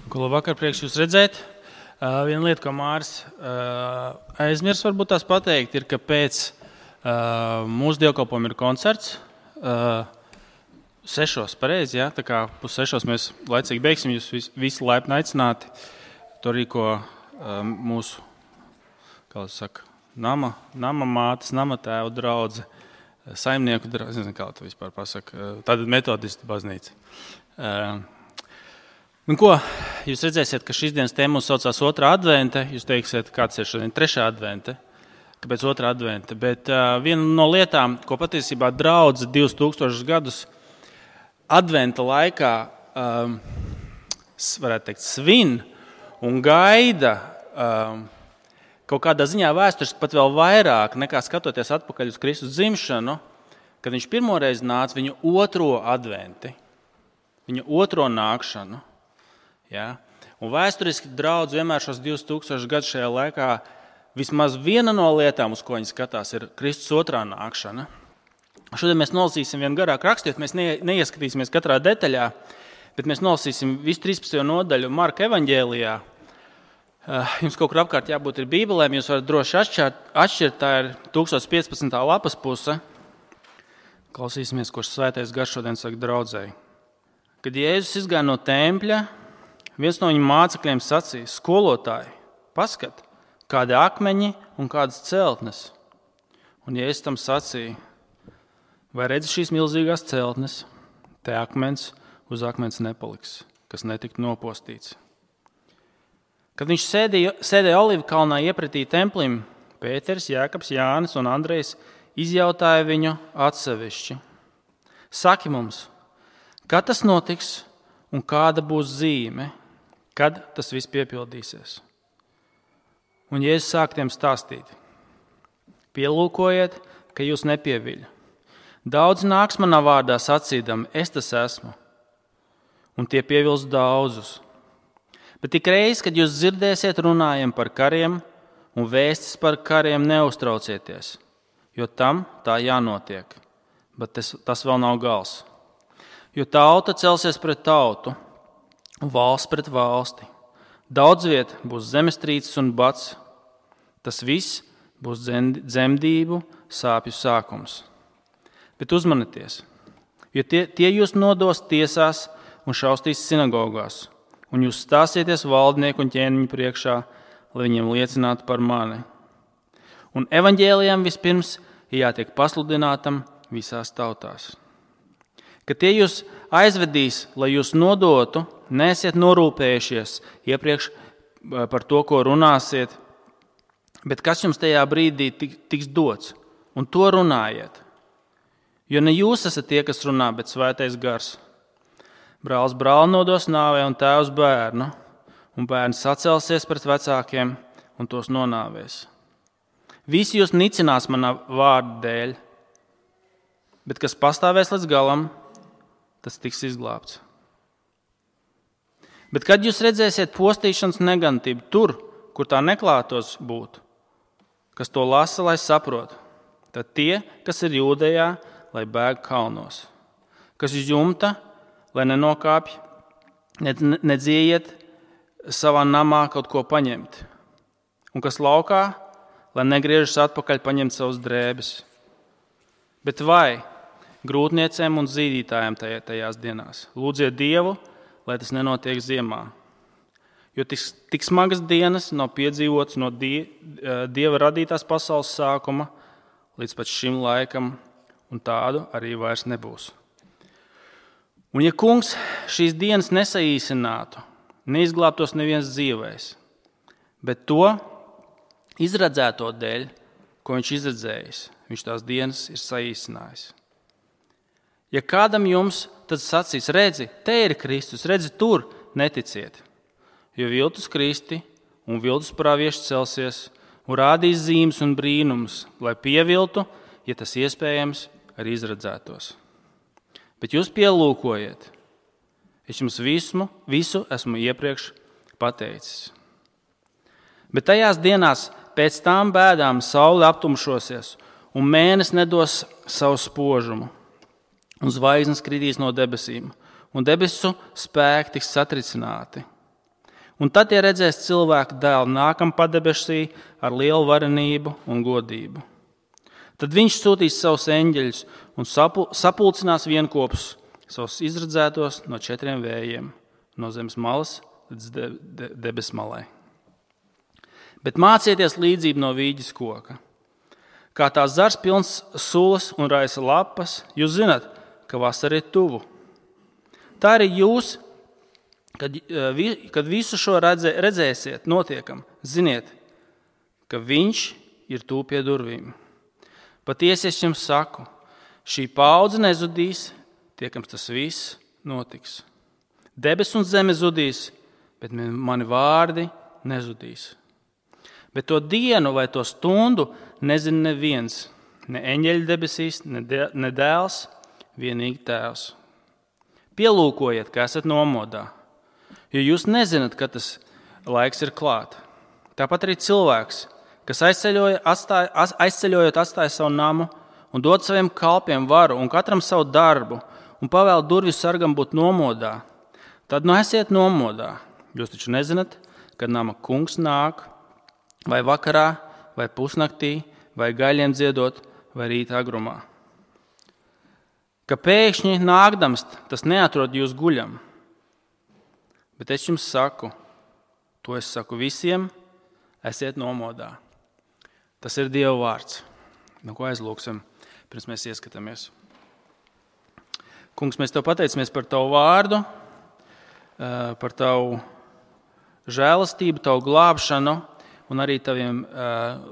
Ko labvakar, prieks jūs redzēt. Viena lieta, ko Māris aizmirs varbūt tās pateikt, ir, ka pēc mūsu dievkalpojuma ir koncerts 6. pareizi, ja? Tā kā 5:30 mēs laicīgi beigsim, jūs visi laipni aicināti. To rīko mūsu, kā saka, nama mātes, nama tēva draudze, saimnieku draudze, nezinu, kā to vispār pasaka, tāda metodistu baznīca. Ko, jūs redzēsiet, ka šīs dienas tēma mums saucās 2. advente, jūs teiksiet, kāds ir šodien 3. advente, kāpēc 2. advente, bet viena no lietām, ko patiesībā draudze 2000 gadus adventa laikā, varētu teikt, svin un gaida kaut kādā ziņā vēsturiski pat vēl vairāk nekā skatoties atpakaļ uz Kristus dzimšanu, kad viņš pirmoreiz nāca viņu 2. adventi, viņa 2. nākšanu. Ja? Un vēsturiski draudz vienmēr šos 2000 gadus šajā laikā vismaz viena no lietām, uz ko viņi skatās, ir Kristus 2. nākšana. Šodien mēs nolasīsim vienu garāku rakstiet, mēs neieskatīsimies katrā detaļā, bet mēs nolasīsim visu 13. nodaļu Marka evaņģēlijā. Jums kaut kur apkārt jābūt ir bībelēm, jūs varat droši atšķirt, tā ir 1015. lapas puse. Klausīsimies, ko svētais gars šodien saka draudzēji. Kad Jēzus izgāja no tempļa, viens no viņa mācekļiem sacīja: skolotāji, paskat, kādi akmeņi un kādas celtnes. Un Jēzus tam sacīja: vai redzi šīs milzīgās celtnes? Te akmens uz akmens nepaliks, kas netikt nopostīts. Kad viņš sēdēja Olivu kalnā iepratī templim, Pēters, Jēkabs, Jānis un Andrejs izjautāja viņu atsevišķi: saki mums, kad tas notiks un kāda būs zīme, kad tas viss piepildīsies? Un Jēzus sāk tiem stāstīt: pielūkojiet, ka jūs nepieviļ. Daudz nāks manā vārdā sacīdam, es tas esmu, un tie pievils daudzus. Bet tik reiz, kad jūs dzirdēsiet runājam par kariem un vēstis par kariem, neuztraucieties, jo tam tā jānotiek, bet tas vēl nav gals. Jo tauta celsies pret tautu un valsts pret valsti. Daudz viet būs zemestrīces un bats. Tas viss būs dzemdību sāpju sākums. Bet uzmanieties, jo tie jūs nodos tiesās un šaustīs sinagogās, un jūs stāsieties valdnieku un ķēniņu priekšā, lai viņiem liecinātu par mani. Un evaņģēlijam vispirms jātiek pasludinātam visās tautās. Kad tie jūs aizvedīs, lai jūs nodotu, neesiet norūpējušies iepriekš par to, ko runāsiet, bet kas jums tajā brīdī tiks dots, un to runājiet. Jo ne jūs esat tie, kas runā, bet svētais gars. Brālis brāli nodos nāvē un tēvs bērnu, un bērns sacelsies pret vecākiem un tos nonāvēs. Visi jūs nicinās manā vārda dēļ, bet kas pastāvēs līdz galam, tas tiks izglābts. Bet kad jūs redzēsiet postīšanas negantību tur, kur tā neklātos būt, kas to lasa, lai saprot, tad tie, kas ir Jūdejā, lai bēg kalnos, kas uz jumta, lai nenokāpj, nedziejiet savā namā kaut ko paņemt, un kas laukā, lai negriežas atpakaļ paņemt savus drēbes. Bet vai grūtniecēm un zīdītājiem tajās dienās lūdziet Dievu, lai tas nenotiek ziemā, jo tik smagas dienas nav piedzīvotas no Dieva radītās pasaules sākuma līdz pat šim laikam, un tādu arī vairs nebūs. Un ja kungs šīs dienas nesaīsinātu, neizglābtos neviens dzīvais, bet to izredzēto dēļ, ko viņš izredzējis, viņš tās dienas ir saīsinājis. Ja kādam jums tad sacīs, redzi, te ir Kristus, redzi, tur, neticiet, jo viltus kristi un viltus pravieši celsies un rādīs zīmes un brīnumus, lai pieviltu, ja tas iespējams, arī izredzētos. Bet jūs pielūkojiet, es jums visu esmu iepriekš pateicis. Bet tajās dienās pēc tām bēdām saule aptumšosies, un mēnesis nedos savu spožumu, un zvaigznes kritīs no debesīm, un debesu spēki tiks satricināti. Un tad tie redzēs cilvēku dēlu nākam padebesī ar lielu varenību un godību. Tad viņš sūtīs savus eņģeļus un sapulcinās vienkopus savus izredzētos no 4 vējiem, no zemes malas līdz debesu malai. Bet mācieties līdzību no vīģes koka. Kā tā zars pilns sulas un raisa lapas, jūs zināt, ka vasara ir tuvu. Tā arī jūs, kad visu šo redzēsiet notiekam, ziniet, ka viņš ir tuvu pie durvīm. Patiesi es jums saku, šī paudze nezudīs, tiekams tas viss notiks. Debes un zeme zudīs, bet mani vārdi nezudīs. Bet to dienu vai to stundu nezina neviens, ne eņģeļi debesīs, ne dēls, vienīgi tēvs. Pielūkojiet, ka esat nomodā, jo jūs nezināt, ka tas laiks ir klāt. Tāpat arī cilvēks, kas aizceļojot atstāja savu namu un dod saviem kalpiem varu un katram savu darbu un pavēl durvju sargam būt nomodā, tad esiet nomodā. Jūs taču nezināt, kad nama kungs nāk, vai vakarā, vai pusnaktī, vai gaļiem dziedot, vai rīta agrumā. Ka pēkšņi nākdams, tas neatrod jūs guļam. Bet es jums saku, to es saku visiem, esiet nomodā. Tas ir Dieva vārds. Nu, ko aizlūksim, pirms mēs ieskatāmies. Kungs, mēs tev pateicamies par tavu vārdu, par tavu žēlastību, tavu glābšanu un arī taviem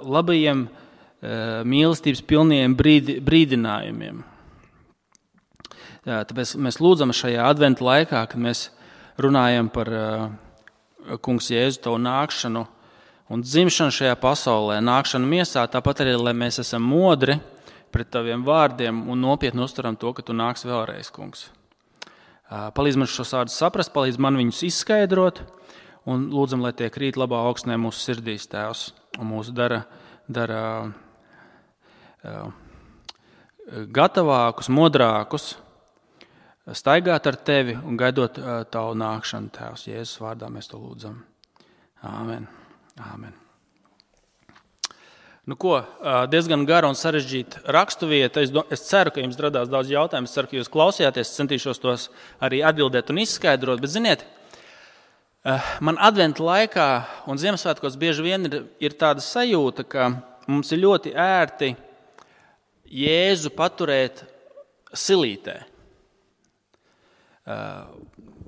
labajiem mīlestības pilniem brīdinājumiem. Tāpēc mēs lūdzam šajā adventa laikā, kad mēs runājam par kungs Jēzu tavu nākšanu un dzimšanu šajā pasaulē, nākšanu miesā, tāpat arī, lai mēs esam modri pret taviem vārdiem un nopietni uztveram to, ka tu nāks vēlreiz, kungs. Palīdz man šos vārdus saprast, palīdz man viņus izskaidrot un lūdzam, lai tie krīt labā augstnē mūsu sirdīs, Tēvs, un mūs dara gatavākus, modrākus, staigāt ar tevi un gaidot tavu nākšanu, Tēvs. Jēzus vārdā mēs to lūdzam. Āmen. Āmen. Nu ko, diezgan gara un sarežģīta raksturvieta. Es ceru, ka jums radās daudz jautājumu. Es ceru, ka jūs klausījāties. Es centīšos tos arī atbildēt un izskaidrot. Bet ziniet, man adventa laikā un Ziemassvētkos bieži vien ir tāda sajūta, ka mums ir ļoti ērti Jēzu paturēt silītē.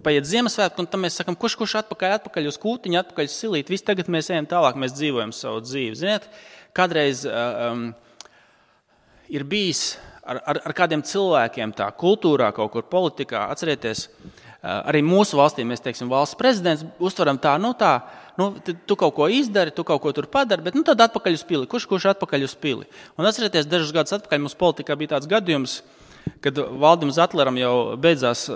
Paiet Ziemassvētku, un tam mēs sakam, kurš atpakaļ uz kūtiņu, atpakaļ uz silīti. Viss tagad mēs ejam tālāk, mēs dzīvojam savu dzīvi. Ziniet, kādreiz ir bijis ar kādiem cilvēkiem tā kultūrā, kaut kur politikā. Atcerieties, arī mūsu valstī mēs, teiksim, valsts prezidents uztveram tu kaut ko izdari, tu kaut ko tur padari, bet tad atpakaļ uz pili. Kurš atpakaļ uz pili? Un atcerieties, dažus gadus atpakaļ mums politikā bija tāds gadījums, kad Valdim Zatleram jau beidzās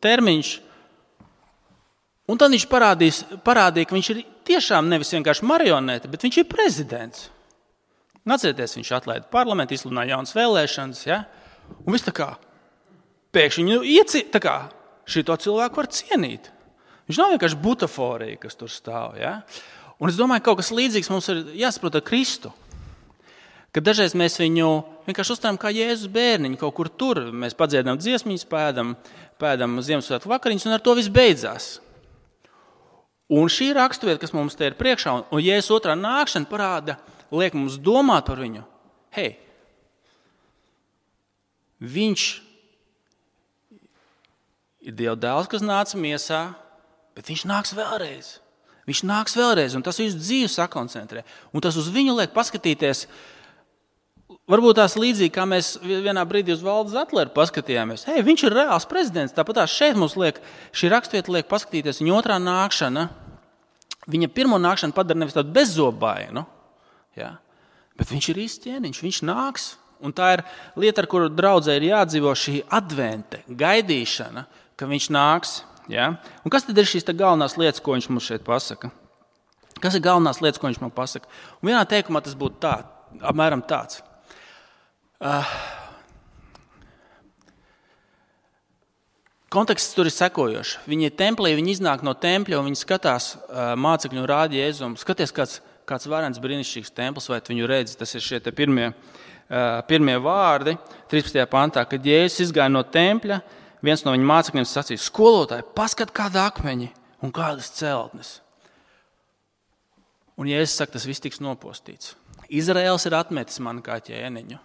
termiņš, un tad viņš parādīja, ka viņš ir tiešām nevis vienkārši marionete, bet viņš ir prezidents. Un atcerieties, viņš atlaida parlamentu, izsludināja jaunas vēlēšanas, ja? Un viss tā kā pēkšņi šito cilvēku var cienīt. Viņš nav vienkārši butaforija, kas tur stāv. Ja? Un es domāju, ka kaut kas līdzīgs mums ir jāsaprot ar Kristu. Kad dažreiz mēs viņu vienkārši uztveram kā Jēzus bērniņu, kaut kur tur. Mēs padziedam dziesmiņas, pēdam Ziemassvētku vakariņas, un ar to viss beidzās. Un šī raksturvieta, kas mums te ir priekšā, un Jēzus otrā nākšana liek mums domāt par viņu. Hei, viņš ir Dieva dēls, kas nāca miesā, bet viņš nāks vēlreiz. Viņš nāks vēlreiz, un tas visu dzīvi sakoncentrē. Un tas uz viņu liek paskatīties. Varbūt tās līdzīgi, kā mēs vienā brīdī uz Valdu Zatleru paskatījāmies. Hei, viņš ir reāls prezidents. Tāpat šeit mums šī raksturvieta liek paskatīties viņa otrā nākšana. Viņa pirmo nākšanu padara nevis tādu bezzobāju, ja? Bet viņš ir īsts ķēniņš, viņš nāks. Un tā ir lieta, ar kuru draudzē ir jādzīvo šī advente, gaidīšana, ka viņš nāks. Ja? Un kas tad ir šīs galvenās lietas, ko viņš mums šeit pasaka? Kas ir galvenās lietas, ko viņš man pasaka? Un vienā teikumā tas būtu apmēram tāds. konteksts tur ir sekojošs. Viņi ir templī, viņi iznāk no tempļa, un viņi skatās mācekļu un rāda Jēzum. Skaties, kāds varens brīnišķīgs templis, vai viņu redzi, tas ir šie te pirmie vārdi, 13. pantā, kad Jēzus izgāja no tempļa, viens no viņa mācekļiem sacīja, skolotāji, paskat kāda akmeņi un kādas celtnes. Un Jēzus saka, tas viss tiks nopostīts. Izraēls ir atmetis mani kā ķēniņu.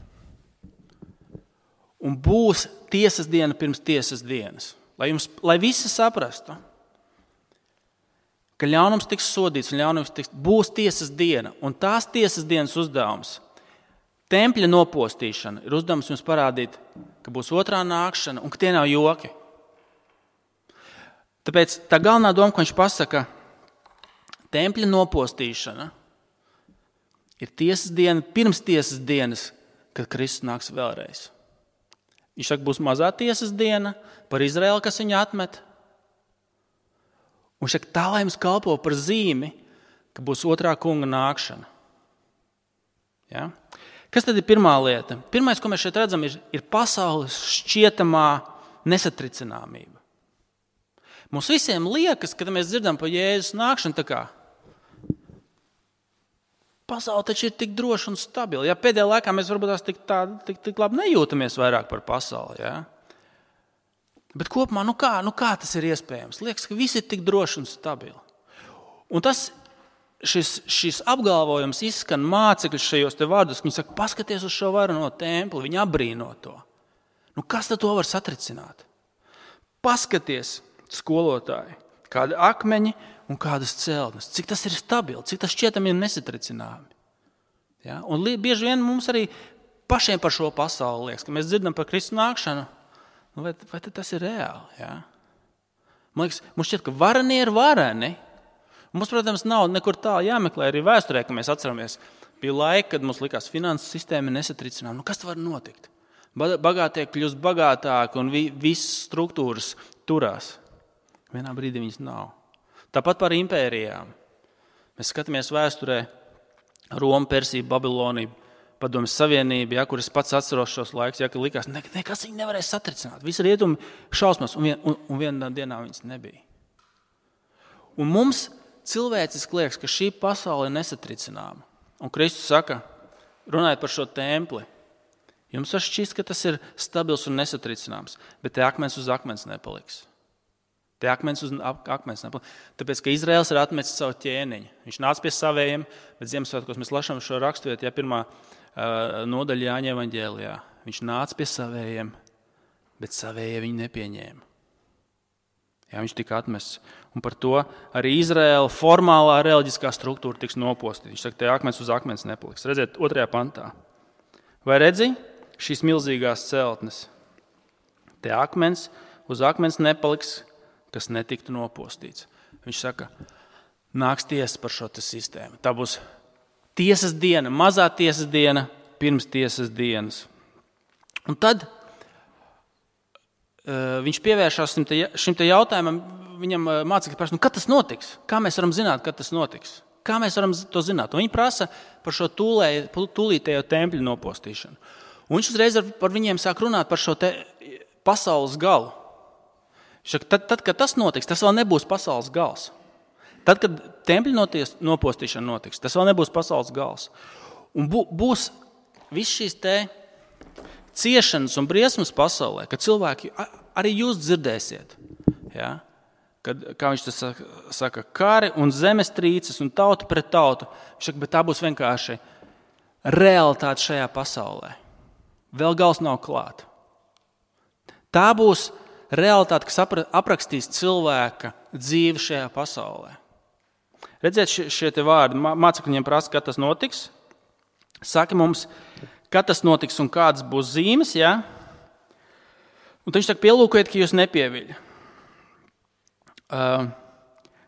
Un būs tiesas diena pirms tiesas dienas. Lai visi saprastu, ka ļaunums tiks sodīts un būs tiesas diena. Un tās tiesas dienas uzdevums, tempļa nopostīšana, ir uzdevums jums parādīt, ka būs otrā nākšana un ka tie nav joki. Tāpēc tā galvenā doma, ko viņš pasaka, tempļa nopostīšana ir tiesas diena pirms tiesas dienas, kad Kristus nāks vēlreiz. Viņš saka, būs mazā tiesas diena par Izraēlu, kas viņu atmet. Un viņš saka, tā lai jums kalpo par zīmi, ka būs otrā kunga nākšana. Ja? Kas tad ir pirmā lieta? Pirmais, ko mēs šeit redzam, ir pasaules šķietamā nesatricināmība. Mums visiem liekas, kad mēs dzirdam par Jēzus nākšanu, tā kā pasaule taču ir tik droša un stabila. Ja pēdējā laikā mēs varbūt tik labi nejūtamies vairāk par pasauli. Ja? Bet kopumā, kā tas ir iespējams? Liekas, ka viss ir tik droši un stabili. Un šis apgalvojums izskan mācekļus šajos te vārdos, ka viņi saka, paskaties uz šo varano templi, viņi abrīno to. Kas tad to var satricināt? Paskaties, skolotāji, kādi akmeņi un kādas celtnes, cik tas ir stabili, cik tas šķietami ir nesatricināmi. Ja? Un bieži vien mums arī pašiem par šo pasauli liekas, ka mēs dzirdam par Kristus nākšanu, vai tas ir reāli? Ja? Man liekas, mums šķiet, ka vareni ir vareni. Mums, protams, nav nekur tā jāmeklē arī vēsturē, ka mēs atceramies. Bija laika, kad mums likās finanses sistēma nesatricinām. Kas var notikt? Bagātie kļūst bagātāki un visas struktūras turās. Vienā brīdī viņas nav. Tāpat par impērijām. Mēs skatāmies vēsturē Roma, Persija, Babilonija, Padomjas Savienība, ja, kur es pats atceros šos laikus, ja, ka likās, nekas viņi nevarēs satricināt. Visi rietumi šausmas, un vienā dienā viņas nebija. Un mums cilvēciski liekas, ka šī pasaule ir nesatricināma. Un Kristus saka, runājot par šo templi, jums var šķist, ka tas ir stabils un nesatricināms, bet te akmens uz akmens nepaliks. Te akmens uz akmens nepaliks. Tāpēc, ka Izraēls ir atmetis savu ķēniņu. Viņš nāca pie savējiem, bet Ziemassvētkos mēs lasām šo raksturiet, ja pirmā nodaļa Jāņa evaņģēlijā. Viņš nāca pie savējiem, bet savējie viņu nepieņēma. Ja, viņš tika atmests. Un par to arī Izraēla formālā reliģiskā struktūra tiks nopostīta. Viņš saka, te akmens uz akmens nepaliks. Redziet, 2. pantā. Vai redzi šīs milzīgās celtnes? Te akmens uz akmens nepaliks, kas netiktu nopostīts. Viņš saka, nāks tiesa par šo sistēmu. Tā būs tiesas diena, mazā tiesas diena, pirms tiesas dienas. Un tad viņš pievēršās šim te jautājumam, viņam mācekļi prasa, kad tas notiks? Kā mēs varam zināt, kad tas notiks? Kā mēs varam to zināt? Un viņi prasa par šo tūlītējo tempļu nopostīšanu. Un viņš uzreiz par viņiem sāk runāt par šo te pasaules galu. Tad, kad tas notiks, tas vēl nebūs pasaules gals. Tad, kad tempļa nopostīšana notiks, tas vēl nebūs pasaules gals. Un būs viss šīs te ciešanas un briesmas pasaulē, kad cilvēki, arī jūs dzirdēsiet, ja? Kad, kā viņš tas saka, kari un zemestrīces un tauta pret tautu, viņš saka, bet tā būs vienkārši realitāte šajā pasaulē. Vēl gals nav klāt. Tā būs realitāte, kas aprakstīs cilvēka dzīvi šajā pasaulē. Redziet šie te vārdi, mācekļiem prasa, kad tas notiks. Saki mums, kad tas notiks un kādas būs zīmes, ja? Un viņš saka, pielūkojiet, ka jūs nepieviļ.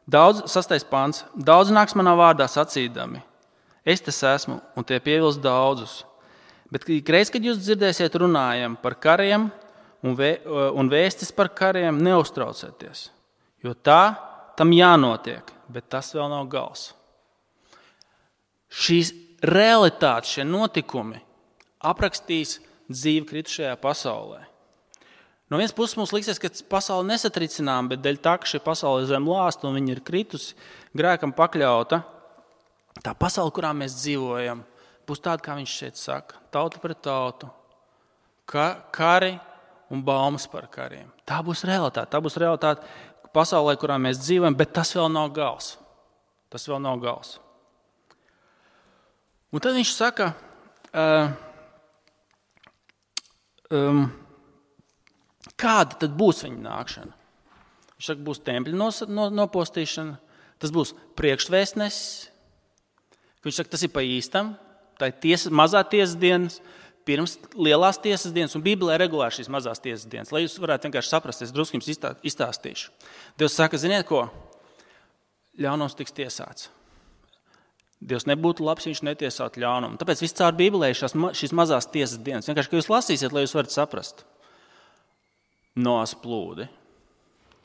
6. pants. Daudz nāks manā vārdā sacīdami. Es tas esmu, un tie pievils daudzus. Bet reiz, kad jūs dzirdēsiet runājam par kariem un vēstis par kariem, neuztraucieties. Jo tam jānotiek, bet tas vēl nav gals. Šīs realitātes, šie notikumi aprakstīs dzīvi kritušajā pasaulē. No vienas puses mums liksies, ka pasaule nesatricinām, bet dēļ tā, ka šī pasaule ir zem lāsta un viņa ir kritusi, grēkam pakļauta, tā pasaule, kurā mēs dzīvojam, būs tāda, kā viņš šeit saka, tauta pret tautu, kari un baumas par kariem. Tā būs realitāte pasaulē, kurā mēs dzīvojam, bet tas vēl nav gals. Un tad viņš saka, kāda tad būs viņa nākšana? Viņš saka, būs tempļa nopostīšana, tas būs priekšvēstnesis. Viņš saka, tas ir pa īstam, tā ir mazā tiesas dienas, pirms lielās tiesas dienas, un Bībelē regulāri šīs mazās tiesas dienas. Lai jūs varētu vienkārši saprast, es drusku jums izstāstīšu. Dievs saka, ziniet ko? Ļaunums tiks tiesāts. Dievs nebūtu labs, ja viņš netiesātu ļaunumu. Tāpēc viss caur Bībelē šīs mazās tiesas dienas. Vienkārši, ka jūs lasīsiet, lai jūs varat saprast. Noas plūdi.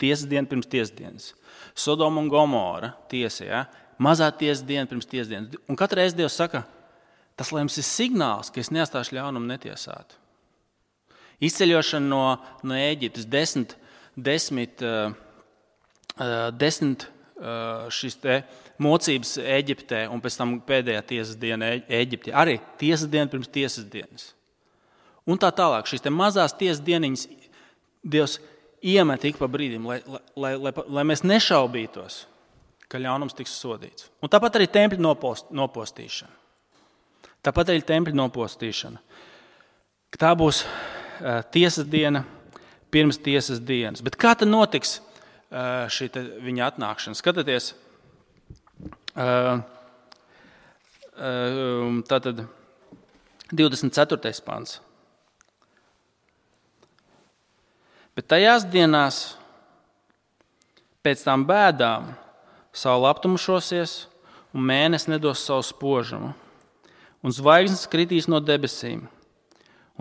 Tiesas diena pirms tiesas dienas. Sodoma un Gomora tiesa, ja? Mazā tiesas diena pirms tiesas dienas. Un katru reizi Dievs saka, tas, lai jums ir signāls, ka es neatstāšu ļaunumu netiesāt. Izceļošana no Ēģiptes, 10 šīs te mocības Ēģiptē un pēc tam pēdējā tiesas diena Ēģiptē. Arī tiesas diena pirms tiesas dienas. Un tā tālāk, šīs te mazās tiesas dieniņas Dievs iemet ik pa brīdim, lai mēs nešaubītos, ka ļaunums tiks sodīts. Un tāpat arī tempļa nopostīšana. Tā būs tiesas diena pirms tiesas dienas. Bet kā tad notiks šī viņa atnākšana? Skatieties, tātad 24. pants. Bet tajās dienās pēc tām bēdām saule aptumšosies un mēnesis nedos savu spožumu. Un zvaigznes kritīs no debesīm,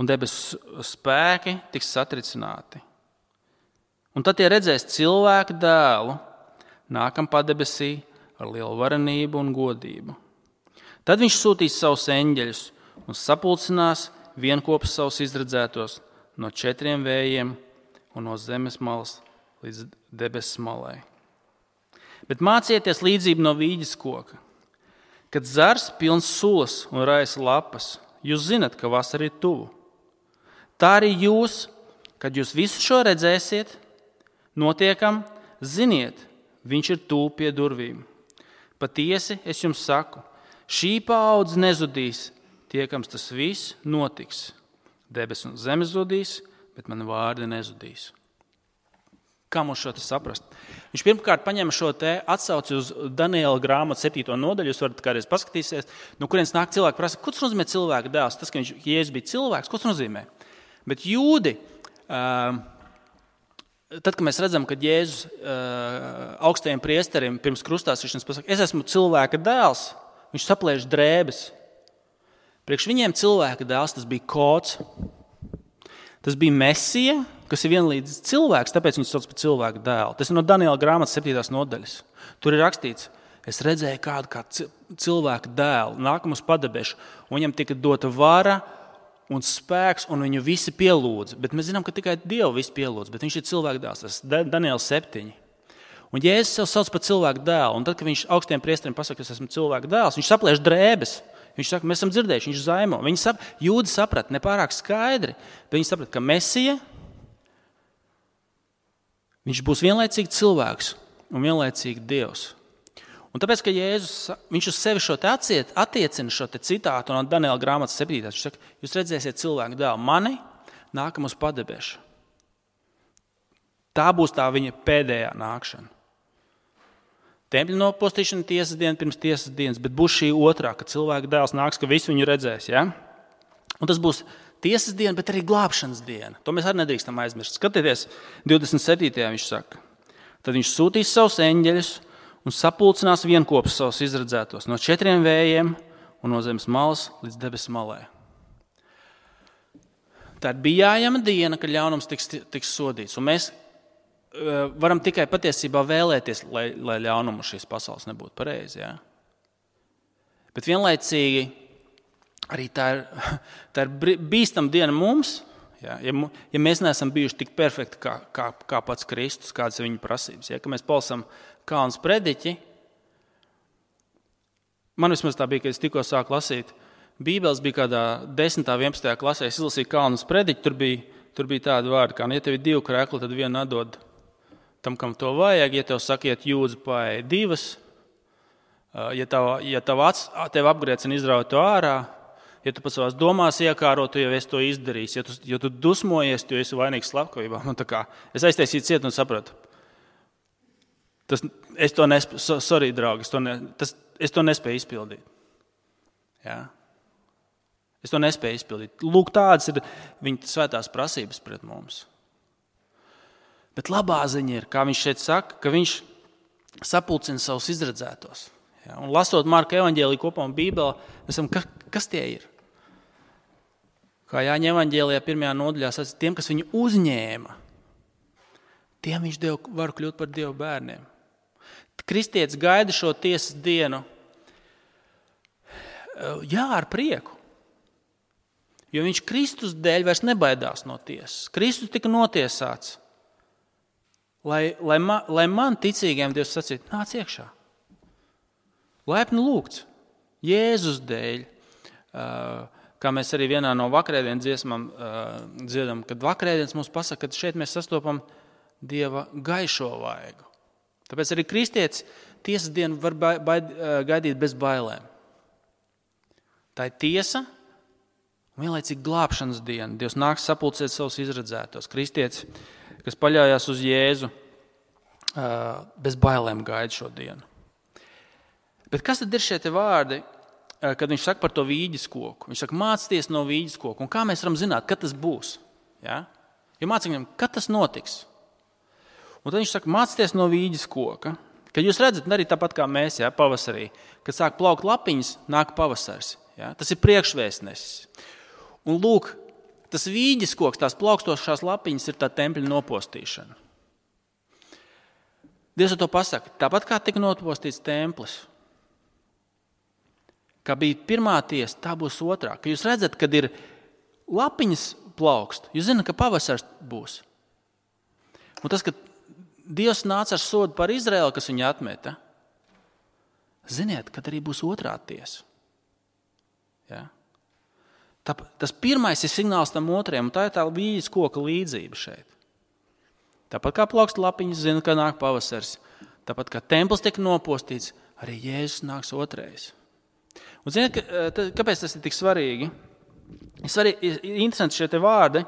un debesu spēki tiks satricināti. Un tad tie redzēs cilvēka dēlu, nākam padebesī ar lielu varenību un godību. Tad viņš sūtīs savus eņģeļus un sapulcinās vienkopus savus izredzētos no 4 vējiem un no zemes malas līdz debesu malai. Bet mācieties līdzību no vīģes koka. Kad zars pilns sulas un raisa lapas, jūs zinat, ka vasara ir tuvu. Tā arī jūs, kad jūs visu šo redzēsiet, notiekam, ziniet, viņš ir tuvu pie durvīm. Patiesi, es jums saku, šī paudze nezudīs, tiekams tas viss notiks. Debes un zemes zudīs, bet mani vārdi nezudīs. Kā mums šo saprast? Viņš pirmkārt paņem šo te atsauci uz Daniela grāmatu 7. nodaļu. Jūs varat kādreiz paskatīties, no kurienes nāk cilvēki prasa, ko tas nozīmē cilvēka dēls? Tas, ka Jēzus bija cilvēks, ko tas nozīmē? Bet jūdi, tad, kad mēs redzam, ka Jēzus augstajiem priesterim pirms krustāstīšanas pasaka, es esmu cilvēka dēls, viņš saplēš drēbes. Priekš viņiem cilvēka dēls tas bija kods. Tas bija Mesija, kas ir vienlīdz cilvēks, tāpēc viņš sauc par cilvēku dēlu. Tas ir no Daniela grāmatas 7. nodaļas. Tur ir rakstīts, es redzēju kādu kā cilvēku dēlu, nākam uz padebešu, un viņam tika dota vara un spēks, un viņu visi pielūdza. Bet mēs zinām, ka tikai Dievu visi pielūdza, bet viņš ir cilvēku dēls. Tas ir Daniela 7. Un Jēzus sev sauc par cilvēku dēlu, un tad, kad viņš augstiem priesteriem pasaka, es esmu cilvēku dēls, viņš saplēš drēbes. Viņš saka, mēs esam dzirdējuši, viņš zaimo. Jūdi saprata nepārāk skaidri, bet viņi saprata, ka Mesija, viņš būs vienlaicīgi cilvēks un vienlaicīgi Dievs. Un tāpēc, ka Jēzus, viņš uz sevi šo te attiecina šo te citātu no Daniela grāmatas 7. Viņš saka, jūs redzēsiet cilvēku dēlu mani, nākam uz padebešu. Tā būs tā viņa pēdējā nākšana. Tempļa nopostīšana tiesas diena pirms tiesas dienas, bet būs šī otrā, kad cilvēka dēls nāks, ka visi viņu redzēs. Ja? Un tas būs tiesas diena, bet arī glābšanas diena. To mēs arī nedrīkstam aizmirst. Skatieties, 27. viņš saka, tad viņš sūtīs savus eņģeļus un sapulcinās vienkopus savus izredzētos no 4 vējiem un no zemes malas līdz debesu malai. Tā ir bijājama diena, kad ļaunums tiks sodīts. Un mēs varam tikai patiesībā vēlēties, lai ļaunumu šīs pasaules nebūtu pareizi. Ja? Bet vienlaicīgi arī tā ir bīstama diena mums, Ja, ja mēs neesam bijuši tik perfekti kā pats Kristus, kādas ir viņa prasības, ja, ka mēs palasām Kalnas prediķi, man vismaz tā bija, kad es tikko sāku lasīt Bībeles, bija kādā 10. 11. klasē, es izlasīju Kalnas prediķi, tur bija tādi vārdi, kā, ja tev ir 2 krekli, tad vienu atdod tam, kam to vajag, ja tev sakiet jūdzi paēj 2, ja tev apgriecina izraut to ārā, ja tu pats savās domās iekāro, tu jau esi to izdarījis. Ja tu dusmojies, tu esi vainīgs slepkavībā. Es aiztaisīju ciet un sapratu. Es to nespēju, sorry, draugi, es to nespēju izpildīt. Ja? Es to nespēju izpildīt. Lūk, tādas ir viņa svētās prasības pret mums. Bet labā ziņa ir, kā viņš šeit saka, ka viņš sapulcina savus izredzētos. Ja? Un lasot Marka evaņģēliju kopā un Bībeli, mēs esam, kas tie ir? Kā Jāņa evaņģēlijā 1. nodaļā sacīja, tiem, kas viņu uzņēma, tiem viņš var kļūt par Dieva bērniem. Kristietis gaida šo tiesas dienu, ar prieku, jo viņš Kristus dēļ vairs nebaidās no tiesas. Kristus tika notiesāts, lai man ticīgiem Dievs sacītu, nāc iekšā. Laipni lūgts, Jēzus dēļ, kā mēs arī vienā no vakarēdienas dziesmām dziedam, kad vakarēdienas mums pasaka, ka šeit mēs sastopam Dieva gaišo vaigu. Tāpēc arī kristietis tiesas dienu var gaidīt bez bailēm. Tā ir tiesa un vienlaicīgi glābšanas diena. Dievs nāks sapulcēt savus izredzētos. Kristietis, kas paļaujās uz Jēzu, bez bailēm gaida šo dienu. Bet kas tad ir šie te vārdi, kad viņš saka par to vīģes koku? Viņš saka, mācieties no vīģes koku. Un kā mēs varam zināt, kad tas būs? Ja? Jo mācīsim, kad tas notiks? Un tad viņš saka, mācieties no vīģes koka. Kad jūs redzat, arī tāpat kā mēs, ja, pavasarī, kad sāk plaukt lapiņas, nāk pavasars. Ja? Tas ir priekšvēstnesis. Un lūk, tas vīģes koks, tās plaukstošās lapiņas ir tā tempļa nopostīšana. Dievs to pasaka, tāpat kā tika nopostīts templis. Kā bija pirmā tiesa, tā būs otrā. Kad jūs redzat, kad ir lapiņas plaukst, jūs zināt, ka pavasars būs. Un tas, ka Dievs nāca ar sodu par Izraēlu, kas viņu atmeta, ziniet, kad arī būs otrā tiesa. Ja? Tas pirmais ir signāls tam otrajam, un tā ir tā vīģes koka līdzība šeit. Tāpat kā plaukst lapiņas, zina, ka nāk pavasars. Tāpat kā templis tiek nopostīts, arī Jēzus nāks otrais. Un ziniet, kāpēc tas ir tik svarīgi? Ir interesanti šie te vārdi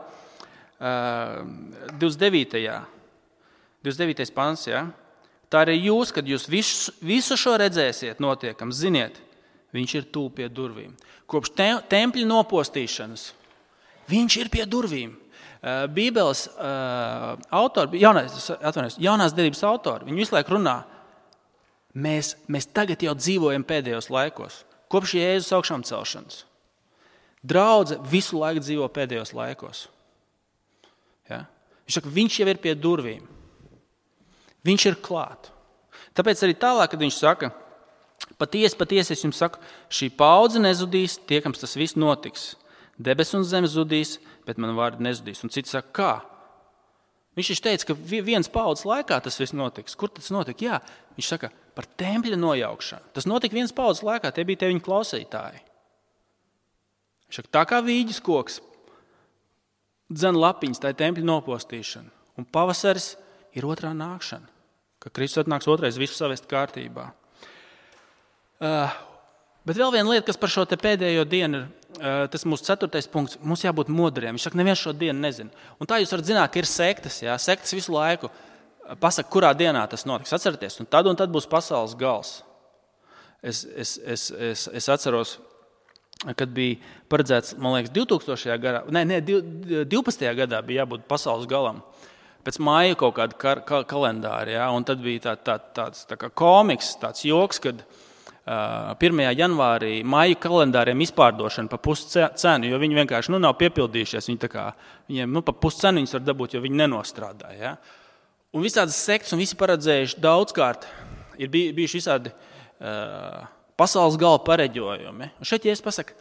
29. pants. Ja? Tā arī jūs, kad jūs visu šo redzēsiet notiekam, ziniet, viņš ir tuvu pie durvīm. Kopš tempļa nopostīšanas viņš ir pie durvīm. Bībeles autori, jaunās derības autori, viņi visu laiku runā, mēs tagad jau dzīvojam pēdējos laikos. Kopš Jēzus augšām celšanas. Draudze visu laiku dzīvo pēdējos laikos. Ja? Viņš saka, viņš jau ir pie durvīm. Viņš ir klāt. Tāpēc arī tālāk, kad viņš saka, patiesi es jums saku, šī paudze nezudīs, tiekams tas viss notiks. Debes un zeme zudīs, bet man vārdi nezudīs. Un cits saka, kā? Viņš teica, ka viens paudzes laikā tas viss notiks. Kur tas notika? Jā, viņš saka, par tempļa nojaukšanu. Tas notika viens paudzes laikā, tie bija viņa klausītāji. Viņš saka, tā kā vīģes koks, dzen lapiņas, tā ir tempļa nopostīšana. Un pavasaris ir otrā nākšana, ka Kristus atnāks otrais visu savest kārtībā. Bet vēl viena lieta, kas par šo te pēdējo dienu ir, tas mūsu 4. punkts, mums jābūt modriem. Viņš saka, neviens šo dienu nezina. Un tā jūs varat zināt, ka ir sektas, jā, sektas visu laiku pasaka, kurā dienā tas notiks. Atcerieties, un tad būs pasaules gals. Es atceros, kad bija paredzēts, man liekas, 2000. gadā, 12. gadā bija jābūt pasaules galam. Pēc māja kaut kāda kalendāra, jā, un tad bija tāds tā kā komiks, tāds joks, kad 1. janvārī maija kalendāriem izpārdošana pa puscenu, jo viņi vienkārši nav piepildījušies. Viņiem pa puscenu viņus var dabūt, jo viņi nenostrādā. Ja? Un visādas sektas un visi paredzējuši daudzkārt ir bijuši visādi pasaules gala pareģojumi. Un šeit, ja es pasaku,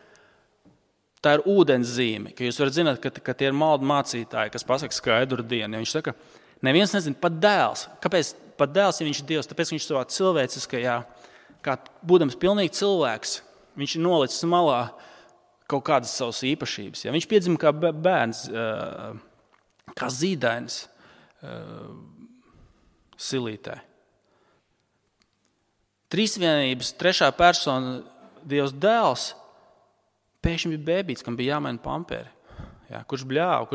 tā ir ūdens zīme, ka jūs varat zināt, ka tie ir maldu mācītāji, kas pasaka skaidru dienu. Ja viņš saka, neviens nezina, pat dēls. Kāpēc pat dēls, ja viņš ir Dievs? Tāpēc viņš savā cilvēciskajā, kā būdams pilnīgi cilvēks, viņš ir nolicis malā kaut kādas savas īpašības. Ja? Viņš piedzima kā bērns, kā zīdainis silītē. Trīsvienības trešā persona, Dievs dēls, pēkšņi bija bēbīts, kam bija jāmaina pamperi. Ja? Kurš bļāva,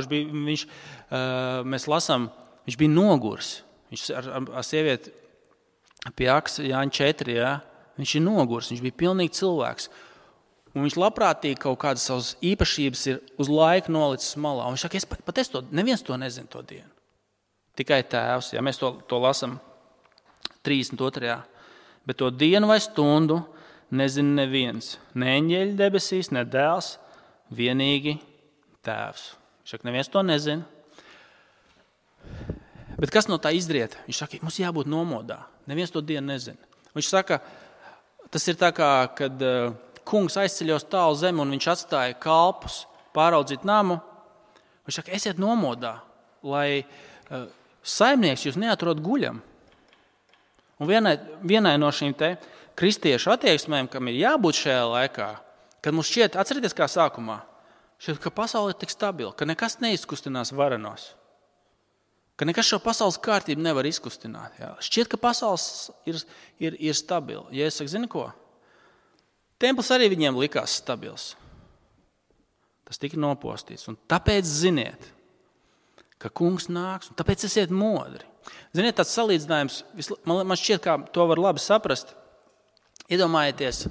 mēs lasām, viņš bija nogurs. Viņš ar sievieti pie Aksa Jāņa 4, ja? Viņš ir nogurs, viņš bija pilnīgi cilvēks. Un viņš labprātīgi kaut kādas savas īpašības ir uz laiku nolicis malā. Un viņš saka, neviens to nezina to dienu. Tikai tēvs, ja mēs to lasām 32. Bet to dienu vai stundu nezina neviens. Ne eņģeļi debesīs, ne dēls, vienīgi tēvs. Viņš saka, neviens to nezina. Bet kas no tā izriet? Viņš saka, mums jābūt nomodā. Neviens to dienu nezina. Viņš saka, tas ir tā kā, kad kungs aizceļos tālu zemi un viņš atstāja kalpus pāraudzīt namu. Viņš saka, esiet nomodā, lai saimnieks jūs neatrod guļam. Un vienai no šīm te kristiešu attieksmēm, kam ir jābūt šajā laikā, kad mums šķiet, atcerieties kā sākumā, šķiet, ka pasaule ir tik stabila, ka nekas neizkustinās varenos, ka nekas šo pasaules kārtību nevar izkustināt. Jā. Šķiet, ka pasaules ir stabila. Ja es saku, zini ko? Templis arī viņiem likās stabils. Tas tika nopostīts. Un tāpēc ziniet, ka kungs nāks, un tāpēc esiet modri. Ziniet, tāds salīdzinājums, man šķiet, kā to var labi saprast. Iedomājieties,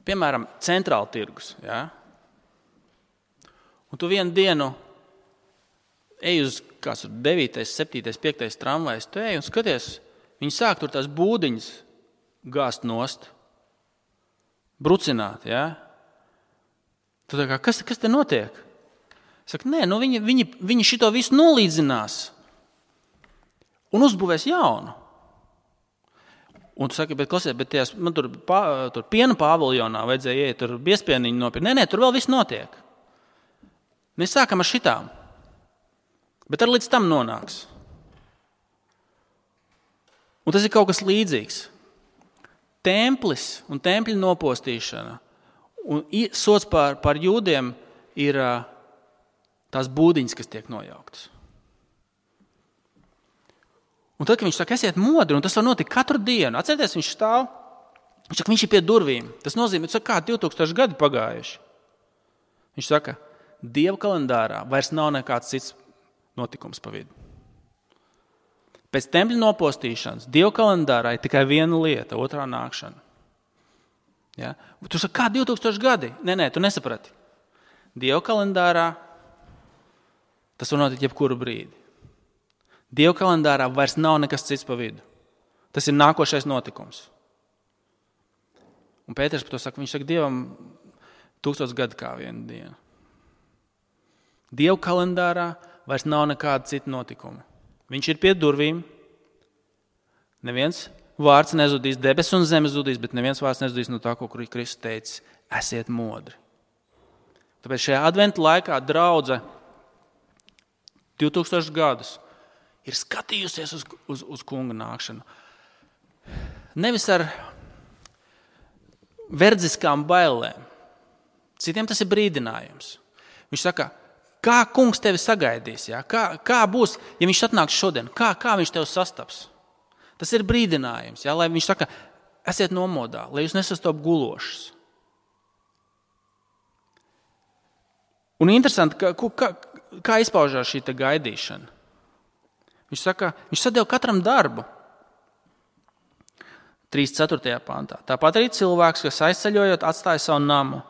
piemēram, centrāla tirgus. Ja? Un tu vienu dienu ej uz 9., 7., 5. tramvajs, tu ej un skaties, viņi sāk tur tās būdiņas gāzt nost, brucināt. Ja? Tu tā kā, kas te notiek? Saka, nē, viņi šito visu nolīdzinās un uzbūvēs jaunu. Un tu saki, bet man tur piena paviljonā vajadzēja iet, tur biespieniņu nopirkt. Nē, tur vēl viss notiek. Mēs sākam ar šitām, bet ar līdz tam nonāks. Un tas ir kaut kas līdzīgs. Templis un tempļa nopostīšana un sots par jūdiem ir tās būdiņas, kas tiek nojauktas. Un tad, kad viņš saka, esiet modri, un tas var notikt katru dienu. Atcerieties, viņš stāv, viņš ir pie durvīm. Tas nozīmē, kā 2000 gadi pagājuši. Viņš saka, Dieva kalendārā vairs nav nekāds cits notikums pa vidu. Pēc tempļa nopostīšanas Dieva kalendārā ir tikai viena lieta, otrā nākšana. Ja? Tu saki, kā 2000 gadi? Nē, tu nesaprati. Dieva kalendārā tas var notikt jebkuru brīdi. Dieva kalendārā vairs nav nekas cits pa vidu. Tas ir nākošais notikums. Un Pēters par to saka, viņš saka, Dievam 1000 gadi kā viena diena. Dieva kalendārā vairs nav nekāda cita notikuma. Viņš ir pie durvīm. Neviens vārds nezudīs, debes un zeme zudīs, bet neviens vārds nezudīs no tā, ko Kristus teica, esiet modri. Tāpēc šajā adventa laikā draudze 2000 gadus ir skatījusies uz kunga nākšanu. Nevis ar verdziskām bailēm. Citiem tas ir brīdinājums. Viņš saka, kā kungs tevi sagaidīs? Ja? Kā būs, ja viņš atnāks šodien? Kā viņš tevi sastaps? Tas ir brīdinājums. Ja? Lai viņš saka, esiet nomodā, lai jūs nesastop gulošas. Un interesanti, kā izpaužās šī gaidīšana. Viņš saka, viņš sadeva katram darbu. 3.4. pantā. Tāpat arī cilvēks, kas aizceļojot, atstāja savu namu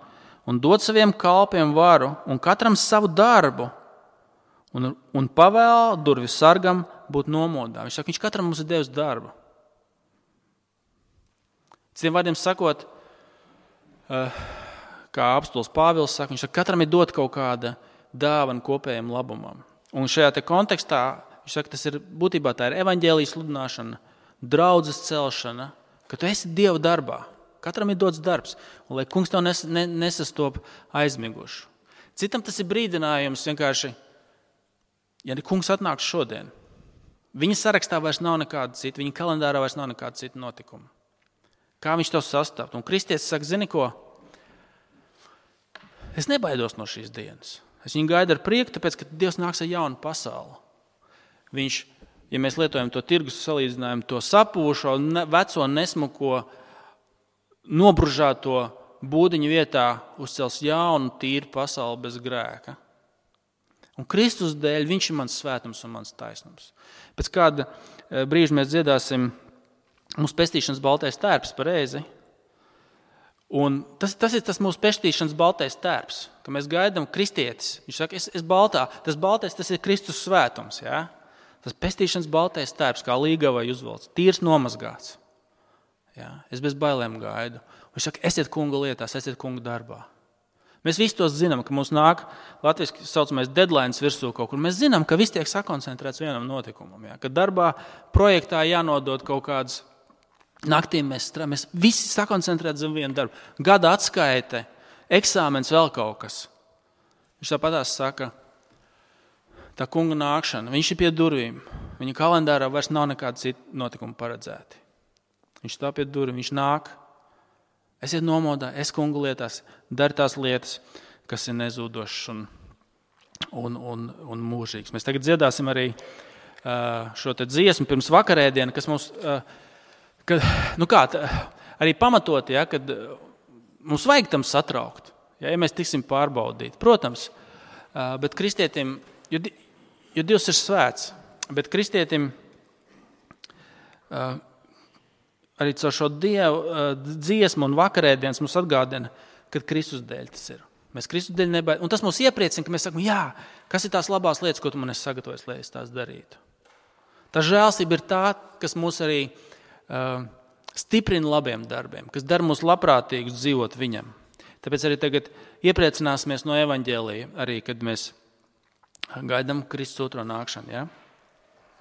un dod saviem kalpiem varu un katram savu darbu un pavēl durvju sargam būt nomodā. Viņš saka, viņš katram mums ir devis darbu. Citiem vārdiem sakot, kā apostuls Pāvils saka, viņš saka, katram ir dot kaut kāda dāvana kopējiem labumam. Un šajā te kontekstā, viņš saka, tas ir būtībā tā ir evaņģēlijas sludināšana, draudzes celšana, ka tu esi Dieva darbā, Katram ir dots darbs, un lai kungs tev nesastop aizmigušu. Citam tas ir brīdinājums vienkārši, ja kungs atnāks šodien, viņa sarakstā vairs nav nekāda cita, viņa kalendārā vairs nav nekāda cita notikuma. Kā viņš to sastāv? Un kristietis saka, zini ko? Es nebaidos no šīs dienas. Es viņu gaidu ar prieku, tāpēc, ka Dievs nāks ar jaunu pasauli. Viņš, ja mēs lietojam to tirgus salīdzinājumu, to sapūšo, veco, nesmuko, nobružāto būdiņu vietā uzcels jaunu, tīru pasauli bez grēka. Un Kristus dēļ viņš ir mans svētums un mans taisnums. Pēc kāda brīža mēs dziedāsim mūsu pestīšanas baltais tērps pareizi. Un tas ir tas mūsu pestīšanas baltais tērps, ka mēs gaidām kristietis. Viņš saka, es baltā. Tas baltais, tas ir Kristus svētums. Ja? Tas pestīšanas baltais tērps, kā līgavai uzvalds, tīrs nomazgāts. Ja? Es bez bailēm gaidu. Viņš saka, esiet kunga lietās, esiet kunga darbā. Mēs visi tos zinām, ka mums nāk latviski saucamais deadlines virsū kaut kur. Mēs zinām, ka viss tiek sakoncentrēts vienam notikumam. Ja? Kad darbā, projektā jānodod kaut kādas naktīm mēs visi sakoncentrēt zem vienu darbu. Gada atskaite, eksāmens, vēl kaut kas. Viņš tāpatās saka, tā kunga nākšana, viņš ir pie durvīm. Viņa kalendārā vairs nav nekāda cita notikuma paredzēti. Viņš tā pie durvīm, viņš nāk. Esiet nomodā, es kunga lietās, dari tās lietas, kas ir nezūdošas un mūžīgas. Mēs tagad dziedāsim arī šo te dziesmu pirms vakarēdienu, kas mums... arī pamatot, ja, kad mums vajag tam satraukt, ja mēs tiksim pārbaudīt. Protams, bet kristietim, jo Dievs ir svēts, bet kristietim arī caur šo dziesmu un vakarēdienas mums atgādina, kad Kristus dēļ tas ir. Mēs Kristus dēļ nebaidām. Un tas mūs iepriecina, ka mēs sakam, jā, kas ir tās labās lietas, ko tu man esi sagatavojis, lai es tās darītu. Tā žēlstība ir tā, kas mūs arī stiprina labiem darbiem, kas dara mūs labprātīgus dzīvot viņam. Tāpēc arī tagad iepriecināsimies no evaņģēlija, arī kad mēs gaidām Kristus otro nākšanu. Ja?